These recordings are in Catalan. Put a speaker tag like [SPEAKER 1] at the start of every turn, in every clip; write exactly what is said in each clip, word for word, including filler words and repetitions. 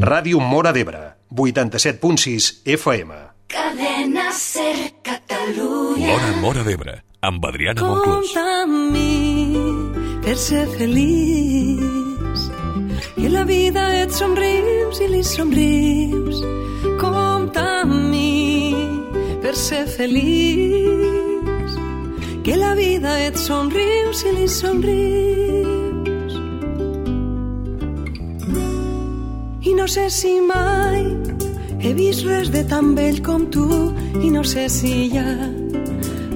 [SPEAKER 1] Ràdio Móra d'Ebre, vuitanta-set punt sis F M.
[SPEAKER 2] Cadena Ser Catalunya.
[SPEAKER 3] L'Hora Móra d'Ebre, amb Adriana Monclús.
[SPEAKER 4] Compta amb mi per ser feliç, que la vida et somrius i li somrius. Compta amb mi per ser feliç, que la vida et somrius i li somrius. I no sé si mai he vist res de tan vell com tu, i no sé si hi ha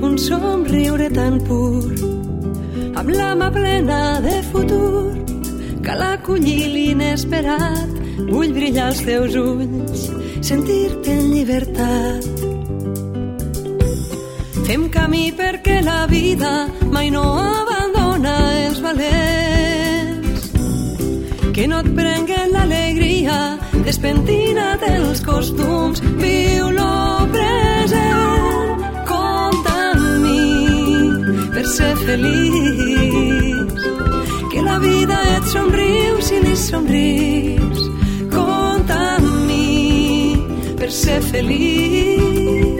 [SPEAKER 4] un somriure tan pur, amb la mà plena de futur. Cal acollir l'inesperat, vull brillar als teus ulls, sentir-te en llibertat. Fem camí perquè la vida mai no abandona els valents, que no et prenguen l'alegria, despentina't els costums, viu lo present. Compta amb mi per ser feliç, que la vida et somriu si li somrius. Compta amb mi per ser feliç.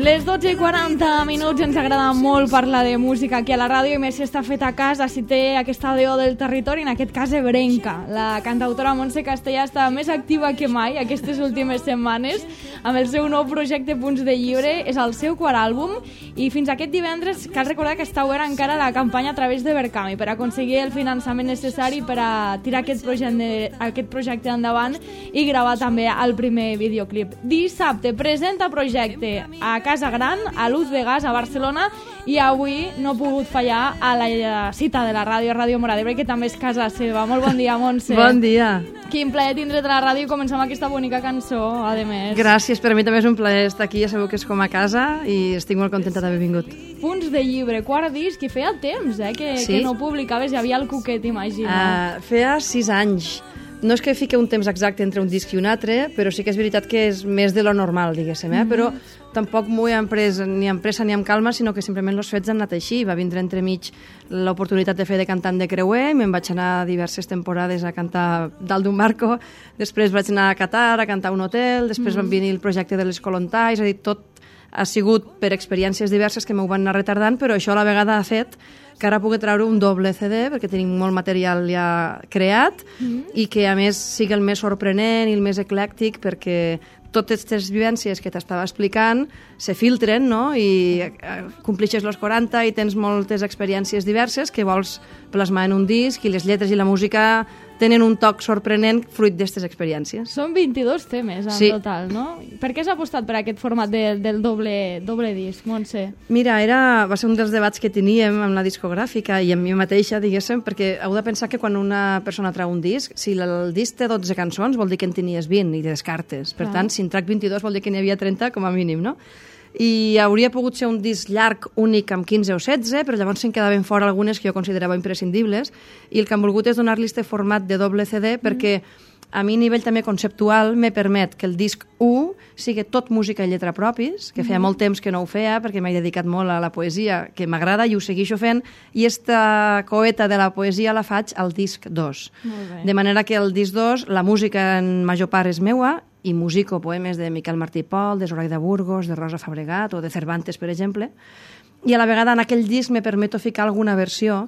[SPEAKER 5] Les dotze i quaranta minuts, ens agrada molt parlar de música aquí a la ràdio, i més si està fet a casa, si té aquesta veu del territori, en aquest cas ebrenca. La cantautora Montse Castellà està més activa que mai aquestes últimes setmanes amb el seu nou projecte Punts de Llibre. És el seu quart àlbum, i fins aquest divendres cal recordar que està oberta encara la campanya a través de Verkami per aconseguir el finançament necessari per a tirar aquest projecte, aquest projecte endavant i gravar també el primer videoclip. Dissabte presenta projecte a Casa Gran, a Luz de Gas, a Barcelona, i avui no ha pogut fallar a la cita de la ràdio, Ràdio Móra d'Ebre, que també és casa seva. Molt bon dia, Montse.
[SPEAKER 6] Bon dia.
[SPEAKER 5] Quin plaer tindre't a la ràdio i començar amb aquesta bonica cançó, a més.
[SPEAKER 6] Gràcies, per a mi també és un plaer estar aquí, ja sabeu que és com a casa i estic molt contenta d'haver vingut.
[SPEAKER 5] Punts de Llibre, quart disc, i feia temps eh, que,
[SPEAKER 6] sí?
[SPEAKER 5] que no publicaves, hi havia el Cuquet, imagina.
[SPEAKER 6] Uh, feia sis anys. No és que fiqui un temps exacte entre un disc i un altre, però sí que és veritat que és més de lo normal, diguéssim, eh? Mm-hmm. Però tampoc m'ho he emprès ni amb pressa ni amb calma, sinó que simplement els fets han anat així. Va vindre entremig l'oportunitat de fer de cantant de creuer, i me'n vaig anar diverses temporades a cantar dalt d'un barco, després vaig anar a Qatar a cantar a un hotel, després mm-hmm. van venir el projecte de les Colontai, és a dir, tot ha sigut per experiències diverses que m'ho van anar retardant, però això a la vegada ha fet que ara pugui treure un doble C D, perquè tenim molt material ja creat, mm-hmm. i que a més sigui el més sorprenent i el més eclèctic, perquè totes aquestes vivències que t'estava explicant se filtren, no? I complixes els quaranta i tens moltes experiències diverses que vols plasmar en un disc, i les lletres i la música tenen un toc sorprenent fruit d'aquestes experiències.
[SPEAKER 5] Són vint-i-dos temes en
[SPEAKER 6] sí.
[SPEAKER 5] total, no? Per què s'ha apostat per aquest format de, del doble, doble disc, Montse?
[SPEAKER 6] Mira, era, va ser un dels debats que teníem amb la discogràfica i amb mi mateixa, diguéssim, perquè heu de pensar que quan una persona trau un disc, si el disc té dotze cançons, vol dir que en tenies vint i descartes. Per ah. tant, si en trac vint-i-dos vol dir que n'hi havia trenta com a mínim, no? I hauria pogut ser un disc llarg, únic, amb quinze o setze, però llavors se'n quedaven fora algunes que jo considerava imprescindibles, i el que han volgut és donar-li este format de doble C D, perquè a mi a nivell també conceptual me permet que el disc u sigui tot música i lletra propis, que feia molt temps que no ho feia, perquè m'he dedicat molt a la poesia, que m'agrada i ho segueixo fent, i esta coeta de la poesia la faig al disc dos. De manera que el disc dos, la música en major part és meua, i musico poemes de Miquel Martí i Pol, de Zoraida Burgos, de Rosa Fabregat o de Cervantes, per exemple, i a la vegada en aquell disc me permeto ficar alguna versió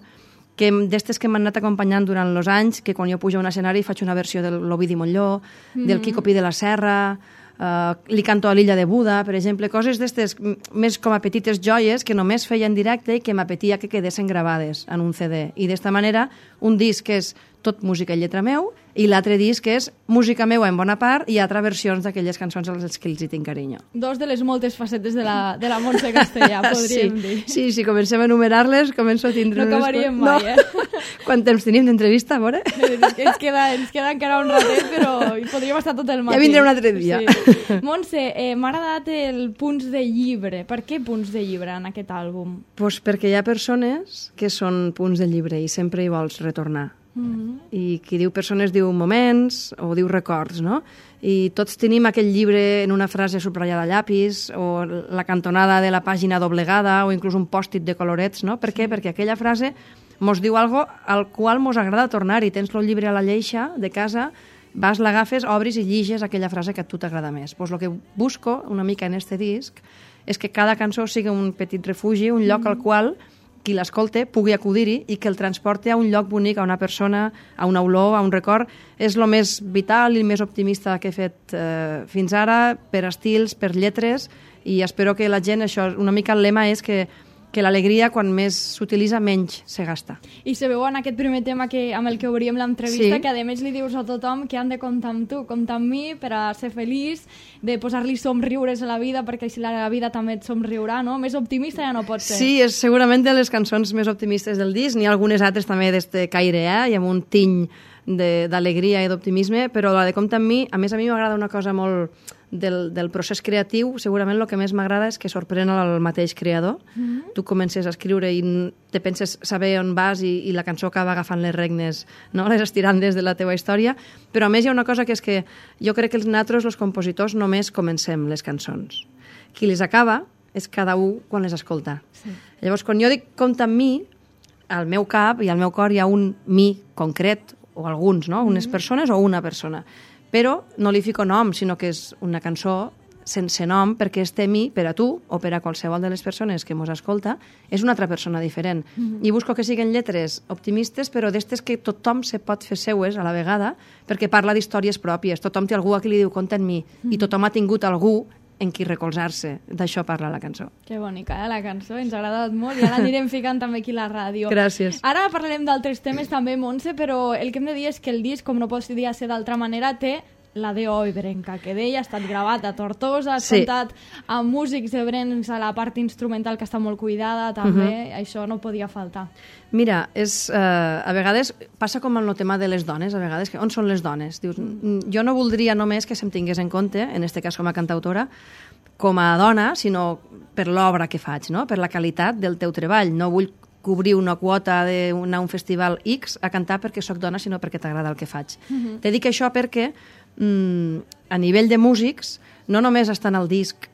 [SPEAKER 6] que d'estes que m'han anat acompanyant durant els anys, que quan jo pujo a un escenari faig una versió de l'Ovidi Montlló, mm-hmm. del Quico Pi de la Serra, uh, li canto a l'Illa de Buda, per exemple, coses d'estes més com a petites joies que només feia en directe i que m'apetia que quedessin gravades en un C D. I d'esta manera, un disc que és tot música i lletra meu, i l'altre disc és música meua en bona part i altres versions d'aquelles cançons a les que els hi tinc carinyo.
[SPEAKER 5] Dos de les moltes facetes de la, de la Montse Castellà, podríem
[SPEAKER 6] sí,
[SPEAKER 5] dir.
[SPEAKER 6] Sí, si comencem a enumerar-les, començo a tindre...
[SPEAKER 5] No acabaríem
[SPEAKER 6] unes...
[SPEAKER 5] mai,
[SPEAKER 6] no.
[SPEAKER 5] eh?
[SPEAKER 6] Quant temps tenim d'entrevista, a veure?
[SPEAKER 5] Ens queda, ens queda encara un ratet, però hi podríem estar tot el matí.
[SPEAKER 6] Ja vindré un altre dia.
[SPEAKER 5] Sí. Montse, eh, m'ha agradat el Punts de Llibre. Per què Punts de Llibre en aquest àlbum?
[SPEAKER 6] Pues perquè hi ha persones que són punts de llibre i sempre hi vols retornar. Mm-hmm. I qui diu persones diu moments o diu records, no? I tots tenim aquell llibre en una frase subratllada a llapis o la cantonada de la pàgina doblegada o inclús un pòstit de colorets, no? Per què? Perquè aquella frase mos diu algo al qual mos agrada tornar, i tens el llibre a la lleixa de casa vas, l'agafes, obris i lliges aquella frase que a tu t'agrada més. Pues el que busco una mica en este disc és que cada cançó sigui un petit refugi, un lloc al qual qui l'escolte pugui acudir-hi i que el transporti a un lloc bonic, a una persona, a una olor, a un record. És el més vital i el més optimista que he fet eh, fins ara, per estils, per lletres, i espero que la gent, això, una mica el lema és que que l'alegria, quan més s'utilitza, menys se gasta.
[SPEAKER 5] I se veu en aquest primer tema que, amb el que obríem l'entrevista,
[SPEAKER 6] sí.
[SPEAKER 5] que a més li dius a tothom que han de comptar amb tu, comptar amb mi per a ser feliç, de posar-li somriures a la vida, perquè si la vida també et somriurà, no? Més optimista ja no pot ser.
[SPEAKER 6] Sí, és segurament de les cançons més optimistes del disc, n'hi ha algunes altres també d'este caire, eh? I amb un tiny d'alegria i d'optimisme, però la de comptar amb mi, a més a mi m'agrada una cosa molt del, del procés creatiu, segurament el que més m'agrada és que sorprèn el mateix creador. Mm-hmm. Tu comences a escriure i te penses saber on vas i, i la cançó acaba agafant les regnes, no? Les estirandes de la teva història, però a més hi ha una cosa que és que jo crec que els nosaltres, els compositors, només comencem les cançons. Qui les acaba és cada un quan les escolta. Sí. Llavors, quan jo dic compta amb mi, al meu cap i al meu cor hi ha un mi concret, o alguns, no? Unes mm-hmm. persones o una persona. Però no li fico nom, sinó que és una cançó sense nom, perquè este mi, per a tu o per a qualsevol de les persones que mos escolta, és una altra persona diferent. Mm-hmm. I busco que siguin lletres optimistes, però d'estes que tothom se pot fer seues a la vegada, perquè parla d'històries pròpies. Tothom té algú a qui li diu compta en mi, mm-hmm. i tothom ha tingut algú en qui recolzar-se. D'això parla la cançó.
[SPEAKER 5] Que bonica, eh, la cançó. Ens ha agradat molt i ara l'anirem ficant també aquí a la ràdio.
[SPEAKER 6] Gràcies.
[SPEAKER 5] Ara parlarem d'altres temes també, Montse, però el que hem de dir és que el disc, com no podia ser d'altra manera, té la D O Ebrenca, que d'ella ha estat gravat a Tortosa, ha
[SPEAKER 6] sí.
[SPEAKER 5] cantat amb músics ebrencs a la part instrumental, que està molt cuidada, també. Uh-huh. Això no podia faltar.
[SPEAKER 6] Mira, és, eh, a vegades passa com amb el tema de les dones, a vegades, que on són les dones? Dius, mm. jo no voldria només que se'm tingués en compte, en este cas com a cantautora, com a dona, sinó per l'obra que faig, no? Per la qualitat del teu treball. No vull cobrir una quota d'anar a un festival X a cantar perquè sóc dona, sinó perquè t'agrada el que faig. Mm-hmm. Te dic això perquè mm, a nivell de músics no només estan al disc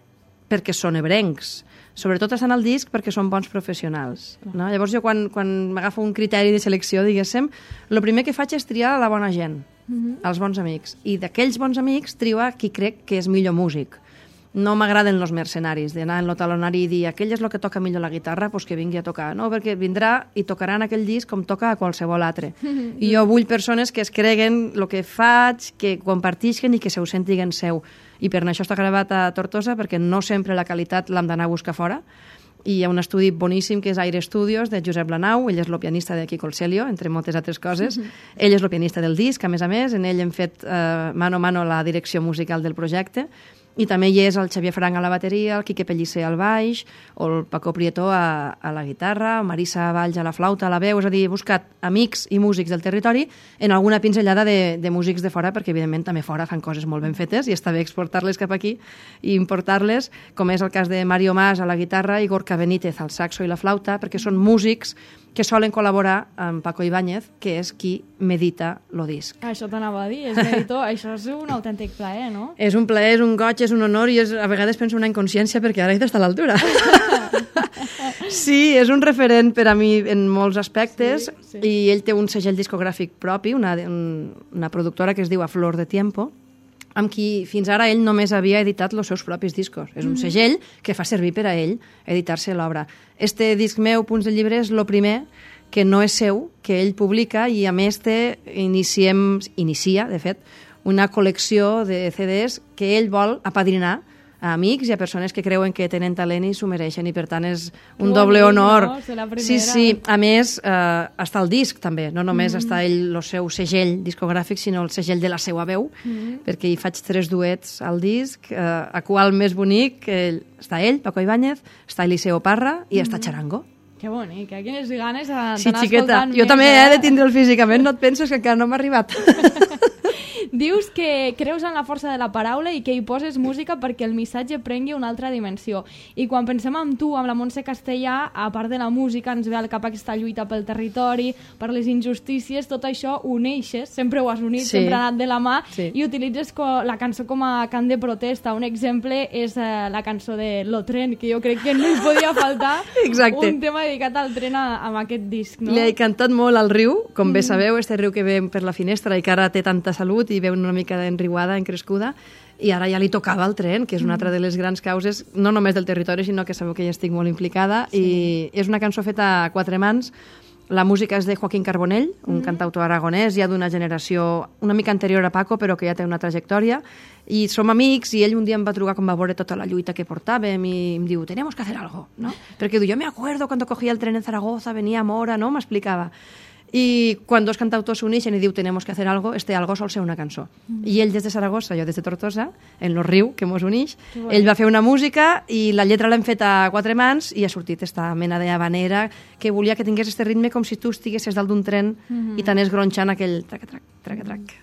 [SPEAKER 6] perquè són ebrencs, sobretot estan al disc perquè són bons professionals. No? Llavors jo quan, quan m'agafo un criteri de selecció, diguéssim, el primer que faig és triar la bona gent, mm-hmm. els bons amics. I d'aquells bons amics trio a qui crec que és millor músic. No m'agraden els mercenaris, d'anar en el talonari i dir aquell és el que toca millor la guitarra, doncs que vingui a tocar. No, perquè vindrà i tocarà en aquell disc com toca a qualsevol altre. I jo vull persones que es creguen el que faig, que compartisquen i que se ho sentiguen seu. I per això està gravat a Tortosa, perquè no sempre la qualitat l'hem d'anar a buscar fora. I hi ha un estudi boníssim que és Aire Studios, de Josep Lanau. Ell és el pianista de Quico Celio, entre moltes altres coses. Mm-hmm. Ell és el pianista del disc, a més a més. En ell hem fet eh, mano a mano la direcció musical del projecte. I també hi és el Xavier Frank a la bateria, el Quique Pellicer al baix, o el Paco Prieto a, a la guitarra, o Marisa Valls a la flauta, a la veu. És a dir, he buscat amics i músics del territori en alguna pinzellada de, de músics de fora, perquè evidentment també fora fan coses molt ben fetes i està bé exportar-les cap aquí i importar-les, com és el cas de Mario Mas a la guitarra i Gorka Benítez al saxo i la flauta, perquè són músics que solen col·laborar amb Paco Ibáñez, que és qui medita lo disc.
[SPEAKER 5] Això t'anava a dir, és meditor. Això és un autèntic plaer, no?
[SPEAKER 6] És un plaer, és un goig, és un honor i és, a vegades penso una inconsciència perquè ara he d'estar a l'altura. Sí, és un referent per a mi en molts aspectes, sí, sí. I ell té un segell discogràfic propi, una, un, una productora que es diu A Flor de Tiempo, amb qui fins ara ell només havia editat els seus propis discos. És un segell que fa servir per a ell editar-se l'obra. Este disc meu, Punts de Llibre, és el primer que no és seu, que ell publica, i a més té, iniciem, inicia, de fet, una col·lecció de C Ds que ell vol apadrinar a amics i a persones que creuen que tenen talent i s'ho mereixen, i per tant és un
[SPEAKER 5] oh,
[SPEAKER 6] doble honor.
[SPEAKER 5] No?
[SPEAKER 6] Sí, sí, a més eh, està el disc també, no només mm. està ell el seu segell discogràfic, sinó el segell de la seva veu, mm. perquè hi faig tres duets al disc, eh, a qual més bonic eh, està ell, Paco Ibáñez, està Eliseo Parra i mm. està Charango.
[SPEAKER 5] Que bonic, eh? Quines ganes d'anar
[SPEAKER 6] sí, xiqueta.
[SPEAKER 5] escoltant
[SPEAKER 6] Jo
[SPEAKER 5] més,
[SPEAKER 6] també
[SPEAKER 5] eh?
[SPEAKER 6] he de tindre'l físicament, no et penses que encara no m'ha arribat.
[SPEAKER 5] Dius que creus en la força de la paraula i que hi poses música perquè el missatge prengui una altra dimensió. I quan pensem en tu, amb la Montse Castellà, a part de la música, ens ve al cap aquesta lluita pel territori, per les injustícies, tot això ho uneixes, sempre ho has unit,
[SPEAKER 6] sí.
[SPEAKER 5] sempre ha anat de la mà,
[SPEAKER 6] sí.
[SPEAKER 5] I utilitzes la cançó com a cant de protesta. Un exemple és eh, la cançó de Lo Tren, que jo crec que no hi podia faltar.
[SPEAKER 6] Exacte.
[SPEAKER 5] Un tema dedicat al tren a, amb aquest disc, no?
[SPEAKER 6] Li he cantat molt al riu, com mm. bé sabeu, este riu que ve per la finestra i que ara té tanta salut i veu una mica enriuada, encrescuda, i ara ja li tocava el tren, que és una altra de les grans causes, no només del territori, sinó que sabeu que hi estic molt implicada, sí. I és una cançó feta a quatre mans. La música és de Joaquín Carbonell, un mm. cantautor aragonès, ja d'una generació una mica anterior a Paco, però que ja té una trajectòria, i som amics, i ell un dia em va trucar quan va veure tota la lluita que portàvem, i em diu, tenemos que hacer algo, ¿no? Perquè diu, yo me acuerdo cuando cogía el tren en Zaragoza, venía a Mora, ¿no? M'explicava. I quan dos cantautors s'uneixen i diu tenemos que hacer algo, este algo sol ser una cançó. Mm. I ell des de Saragossa, jo des de Tortosa, en lo riu que mos unix, bueno. Ell va fer una música i la lletra l'hem fet a quatre mans i ha sortit esta mena d'havanera que volia que tingués este ritme com si tu estiguessis dalt d'un tren mm-hmm. i t'anés gronxant aquell trac-trac, trac-trac.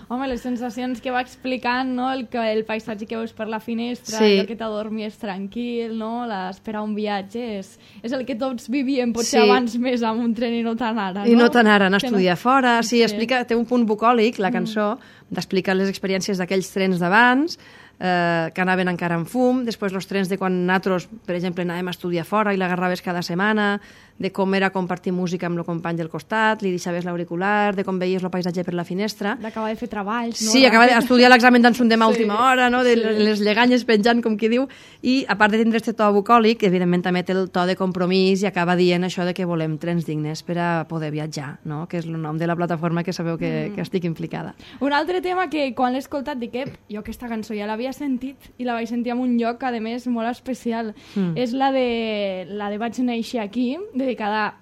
[SPEAKER 5] Home, les sensacions que va explicant, no? el, el paisatge que veus per la finestra,
[SPEAKER 6] sí.
[SPEAKER 5] el que t'adormies tranquil, no? l'esperar un viatge, és, és el que tots vivíem, potser
[SPEAKER 6] sí.
[SPEAKER 5] abans més amb un tren i no tan ara. No?
[SPEAKER 6] I no tan ara, anar a estudiar
[SPEAKER 5] no...
[SPEAKER 6] fora. Sí,
[SPEAKER 5] sí.
[SPEAKER 6] Explica, té un punt bucòlic, la cançó, mm. d'explicar les experiències d'aquells trens d'abans, eh, que anaven encara en fum, després els trens de quan nosaltres, per exemple, anàvem a estudiar fora i l'agarraves cada setmana, de com era compartir música amb el company del costat, li deixaves l'auricular, de com veies el paisatge per la finestra.
[SPEAKER 5] D'acabar de fer treballs, no?
[SPEAKER 6] Sí, acabar d'estudiar l'examen d'en demà a última
[SPEAKER 5] sí.
[SPEAKER 6] hora, no? De
[SPEAKER 5] sí.
[SPEAKER 6] les lleganyes penjant, com qui diu, i a part de tindre este to bucòlic, evidentment també té el to de compromís i acaba dient això de que volem trens dignes per a poder viatjar, no? Que és el nom de la plataforma que sabeu que, mm. que estic implicada.
[SPEAKER 5] Un altre tema que quan l'he escoltat dic que jo aquesta cançó ja l'havia sentit i la vaig sentir en un lloc, a més, molt especial. Mm. És la de, la de Vaig néixer aquí, dedicada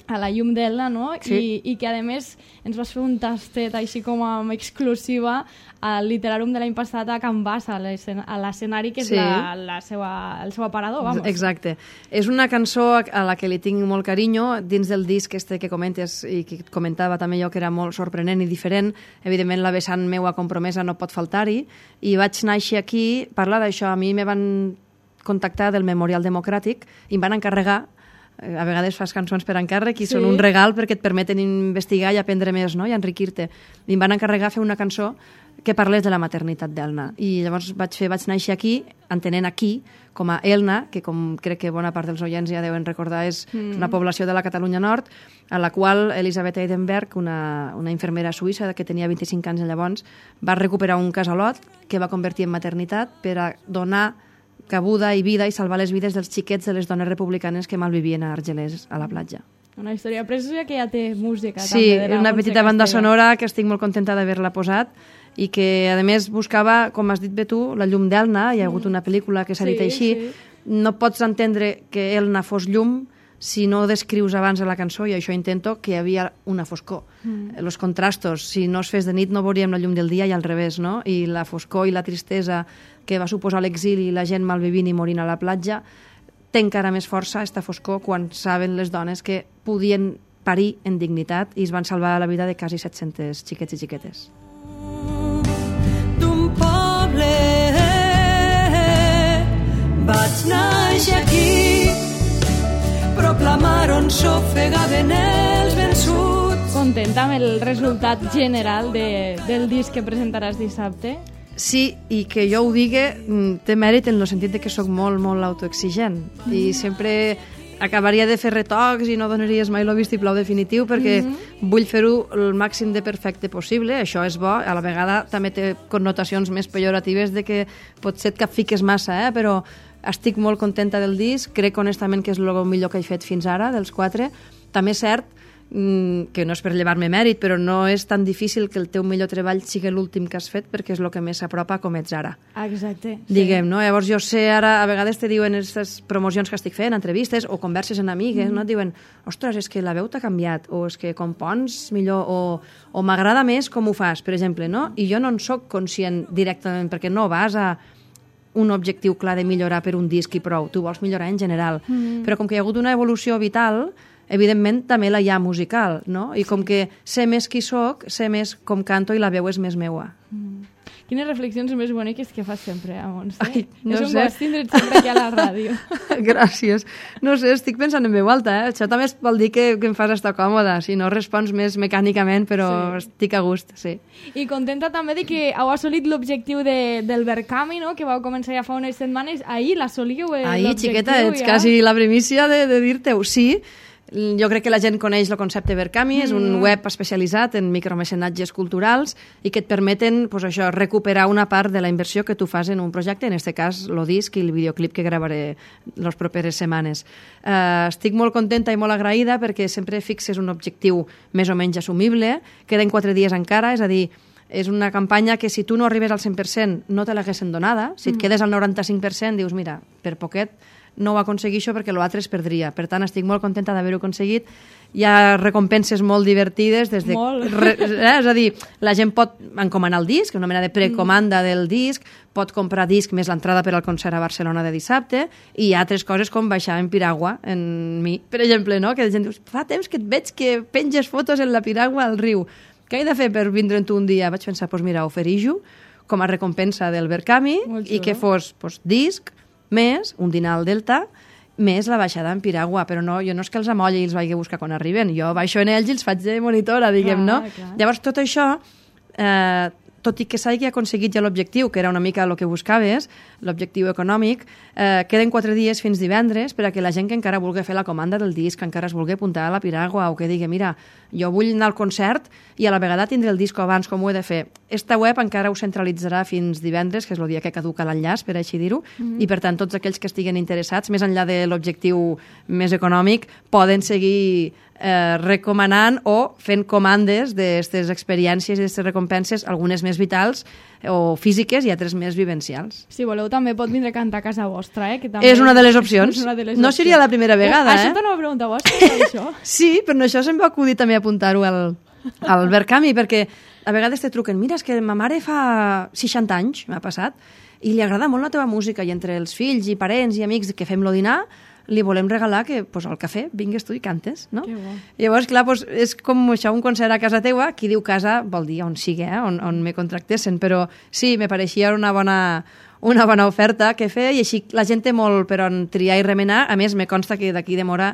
[SPEAKER 5] a la llum d'Elna, no?
[SPEAKER 6] Sí.
[SPEAKER 5] I, I que, a més, ens vas fer un tastet així com a exclusiva al Literàrum de l'any passat a Can Bas, a l'escenari, que és
[SPEAKER 6] sí.
[SPEAKER 5] la, la seva, el seu aparador, vamos.
[SPEAKER 6] Exacte. És una cançó a la que li tinc molt carinyo, dins del disc este que comentes i que comentava també jo, que era molt sorprenent i diferent. Evidentment, la vessant meua compromesa no pot faltar-hi, i Vaig néixer aquí, parla d'això. A mi me van contactar del Memorial Democràtic i em van encarregar, a vegades fas cançons per encàrrec i sí. són un regal perquè et permeten investigar i aprendre més, no? I enriquir-te. I em van encarregar fer una cançó que parlés de la maternitat d'Elna. I llavors vaig fer Vaig néixer aquí, entenent aquí com a Elna, que com crec que bona part dels oients ja deuen recordar, és mm. una població de la Catalunya Nord, a la qual Elisabeth Eidenberg, una, una infermera suïssa que tenia vint-i-cinc anys llavors, va recuperar un casalot que va convertir en maternitat per a donar cabuda i vida i salvar les vides dels xiquets de les dones republicanes que malvivien a Argelers, a la platja.
[SPEAKER 5] Una història preciosa que ja té música.
[SPEAKER 6] Sí,
[SPEAKER 5] també, de la
[SPEAKER 6] una petita banda sonora que estic molt contenta d'haver-la posat i que, a més, buscava, com has dit bé tu, la llum d'Elna. Hi ha hagut una pel·lícula que s'ha
[SPEAKER 5] sí,
[SPEAKER 6] dit així.
[SPEAKER 5] Sí.
[SPEAKER 6] No pots entendre que Elna fos llum si no descrius abans de la cançó, i això intento, que hi havia una foscor. Mm. Els contrastos, si no es fes de nit no veuríem la llum del dia i al revés, no? I la foscor i la tristesa que va suposar l'exili i la gent malvivint i morint a la platja, té encara més força esta foscor quan saben les dones que podien parir en dignitat i es van salvar la vida de quasi set-cents xiquets i xiquetes.
[SPEAKER 4] D'un poble vaig néixer aquí, proclamaron s'ofegaven els vençuts.
[SPEAKER 5] Contenta amb el resultat general de, del disc que presentaràs dissabte?
[SPEAKER 6] Sí, i que jo ho digui té mèrit en el sentit de que sóc molt, molt autoexigent mm. i sempre acabaria de fer retocs i no donaries mai el vistiplau definitiu perquè mm-hmm. vull fer-ho el màxim de perfecte possible. Això és bo, a la vegada també té connotacions més pejoratives de que potser et capfiques massa, eh? Però estic molt contenta del disc, crec honestament que és el millor que he fet fins ara, dels quatre. També és cert que no és per llevar-me mèrit, però no és tan difícil que el teu millor treball sigui l'últim que has fet perquè és el que més s'apropa com ets ara.
[SPEAKER 5] Exacte.
[SPEAKER 6] Diguem, sí. No? Llavors jo sé ara, a vegades te diuen aquestes promocions que estic fent, entrevistes o converses amb amigues, mm. no? Et diuen, ostres, és que la veu t'ha canviat, o és que compons millor, o, o m'agrada més com ho fas, per exemple, no? I jo no en soc conscient directament perquè no vas a un objectiu clar de millorar per un disc i prou, tu vols millorar en general. Mm. Però com que hi ha hagut una evolució vital, evidentment també la hi ha musical, no? I com que sé més qui soc, sé més com canto i la veu és més meua.
[SPEAKER 5] Mm. Quines reflexions més boniques que fas sempre, Montse.
[SPEAKER 6] Ai, no
[SPEAKER 5] és un
[SPEAKER 6] sé.
[SPEAKER 5] goig tindre't sempre aquí a la ràdio.
[SPEAKER 6] Gràcies. No sé, estic pensant en veu alta, eh? Això també vol dir que, que em fas estar còmoda, si no respons més mecànicament, però sí. Estic a gust, sí.
[SPEAKER 5] I contenta també de que heu assolit l'objectiu de, del Verkami, no? Que vau començar ja fa unes setmanes. Ahir l'assoliu, eh,
[SPEAKER 6] Ahir,
[SPEAKER 5] l'objectiu.
[SPEAKER 6] Xiqueta, ets
[SPEAKER 5] ja.
[SPEAKER 6] quasi la primícia de, de dir-te-ho. Sí, Jo crec que la gent coneix el concepte Verkami, mm. és un web especialitzat en micromecenatges culturals i que et permeten pues, això, recuperar una part de la inversió que tu fas en un projecte, en aquest cas el disc i el videoclip que gravaré les properes setmanes. Uh, estic molt contenta i molt agraïda perquè sempre fixes un objectiu més o menys assumible, queden quatre dies encara, és a dir, és una campanya que si tu no arribes al cent per cent no te l'haguessin donada, si et quedes al noranta-cinc per cent dius, mira, per poquet no ho aconseguixo perquè l'altre es perdria. Per tant, estic molt contenta d'haver-ho aconseguit. Hi ha recompenses molt divertides. Des de,
[SPEAKER 5] molt.
[SPEAKER 6] Re, eh, és a dir, la gent pot encomanar el disc, una mena de precomanda mm. del disc, pot comprar disc més l'entrada per al concert a Barcelona de dissabte, i hi ha altres coses com baixar en piragua, en mi, per exemple, no? Que la gent diu, fa temps que et veig que penges fotos en la piragua al riu. Què he de fer per vindre'n tu un dia? Vaig pensar, doncs mira, oferir-ho com a recompensa del Verkami i que fos pues, disc, més un dinar al Delta, més la baixada en piragua, però no, jo no és que els amolli i els vagi a buscar quan arriben, jo baixo en ells i els faig de monitora, diguem, clar, no? Clar. Llavors, tot això, eh, tot i que s'hagi aconseguit ja l'objectiu, que era una mica el que buscaves, l'objectiu econòmic, eh, queden quatre dies fins divendres per a que la gent que encara vulgui fer la comanda del disc, que encara es vulgui apuntar a la piragua o que digui, mira, jo vull anar al concert i a la vegada tindré el disc abans, com ho he de fer. Esta web encara ho centralitzarà fins divendres, que és el dia que caduca l'enllaç, per així dir-ho, mm-hmm. i per tant tots aquells que estiguen interessats, més enllà de l'objectiu més econòmic, poden seguir eh, recomanant o fent comandes d'aquestes experiències i d'aquestes recompenses, algunes més vitals o físiques i altres més vivencials.
[SPEAKER 5] Si voleu també pot vindre a cantar a casa vostra, eh? Que també
[SPEAKER 6] és una de les opcions. De les no opcions. Seria la primera vegada, eh?
[SPEAKER 5] Això t'ho no pregunta vostra, això?
[SPEAKER 6] Sí, però això se'm va acudir també apuntar-ho al, al Verkami, perquè a vegades te truquen, mira, és que ma mare fa seixanta anys, m'ha passat, i li agrada molt la teva música, i entre els fills i parents i amics que fem lo dinar, li volem regalar que pues, al cafè vingues tu i cantes, no?
[SPEAKER 5] Que bo.
[SPEAKER 6] Llavors, clar, pues, és com això, un concert a casa teua, qui diu casa vol dir on sigui, eh? on, on me contractessin, però sí, me pareixia una bona, una bona oferta que fer, i així la gent té molt per on triar i remenar. A més, me consta que d'aquí de Mora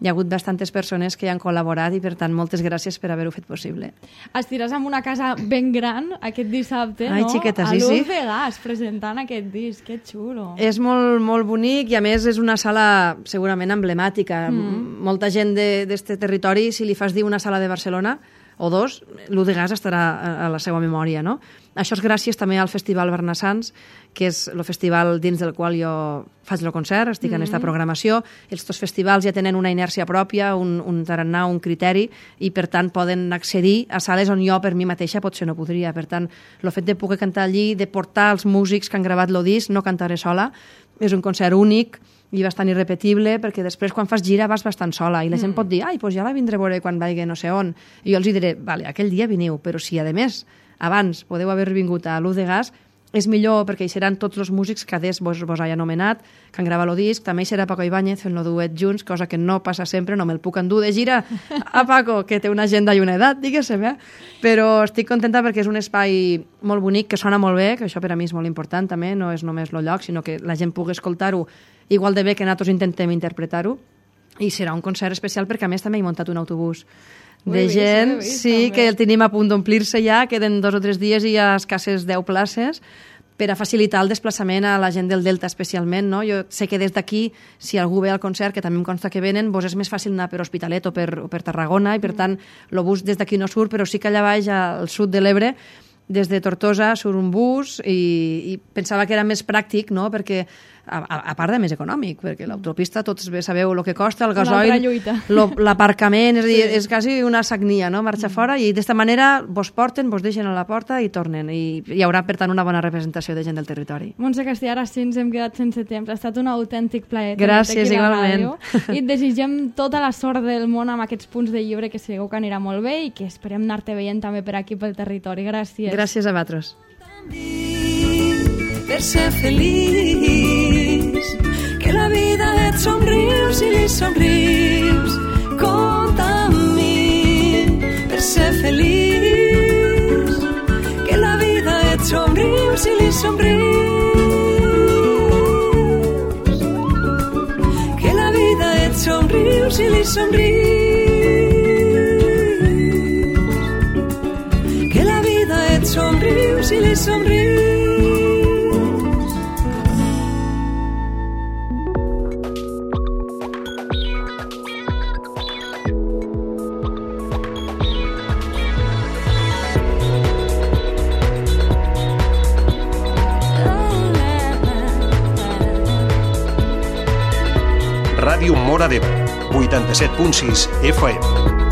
[SPEAKER 6] hi ha hagut bastantes persones que hi han col·laborat i, per tant, moltes gràcies per haver-ho fet possible.
[SPEAKER 5] Estiràs en una casa ben gran aquest dissabte,
[SPEAKER 6] Ai,
[SPEAKER 5] no?
[SPEAKER 6] Xiqueta, sí,
[SPEAKER 5] a l'U
[SPEAKER 6] sí.
[SPEAKER 5] de Gas, presentant aquest disc. Que xulo.
[SPEAKER 6] És molt, molt bonic i, a més, és una sala segurament emblemàtica. Mm. Molta gent d'aquest territori, si li fas dir una sala de Barcelona o dos, l'U de Gas estarà a la seva memòria, no? Això és gràcies també al Festival Bernassans, que és el festival dins del qual jo faig el concert, estic mm-hmm. en aquesta programació. Els dos festivals ja tenen una inèrcia pròpia, un, un tarannà, un criteri, i per tant poden accedir a sales on jo per mi mateixa potser no podria. Per tant, el fet de poder cantar allí, de portar els músics que han gravat el disc, no cantaré sola, és un concert únic i bastant irrepetible, perquè després quan fas gira vas bastant sola i la gent mm. pot dir, ai, doncs ja la vindré a veure quan vagi no sé on. I jo els diré, vale, aquell dia veniu, però si a més abans podeu haver vingut a l'U de Gas, és millor perquè hi seran tots els músics que adés vos, vos he anomenat, que han gravat el disc. També hi serà Paco Ibáñez fent el duet junts, cosa que no passa sempre, no me'l puc endur de gira a Paco, que té una agenda i una edat, diguéssim, eh? Però estic contenta perquè és un espai molt bonic, que sona molt bé, que això per a mi és molt important també, no és només el lloc, sinó que la gent pugui escoltar-ho igual de bé que nosaltres intentem interpretar-ho, i serà un concert especial perquè a més també he muntat un autobús de vist, gent, vist, sí, també. Que el tenim a punt d'omplir-se ja, queden dos o tres dies i hi ha escasses deu places per a facilitar el desplaçament a la gent del Delta especialment, no? Jo sé que des d'aquí, si algú ve al concert, que també em consta que venen, vos és més fàcil anar per Hospitalet o per, o per Tarragona, i per tant el bus des d'aquí no surt, però sí que allà baix al sud de l'Ebre, des de Tortosa surt un bus, i, i pensava que era més pràctic, no? Perquè a, a, a part de més econòmic, perquè l'autopista tots bé sabeu el que costa, el gasoil, l'aparcament, és a dir, sí. És quasi una sagnia, no? Marxar mm. fora, i d'esta manera vos porten, vos deixen a la porta i tornen, i hi haurà per tant una bona representació de gent del territori.
[SPEAKER 5] Montse Castellà, ara sí ens hem quedat sense temps, ha estat un autèntic plaer.
[SPEAKER 6] Gràcies, igualment.
[SPEAKER 5] I et desitgem tota la sort del món amb aquests punts de llibre, que segur que anirà molt bé i que esperem anar-te veient també per aquí pel territori. Gràcies.
[SPEAKER 6] Gràcies a vosaltres.
[SPEAKER 4] Per ser feliç, que la vida et somrius i li somrius. Compta amb mi per ser feliç, que la vida et somrius i li somrius. Que la vida et somrius i li somrius. Que la vida et somrius i li somrius.
[SPEAKER 1] Ràdio Móra d'Ebre, vuitanta-set punt sis F M.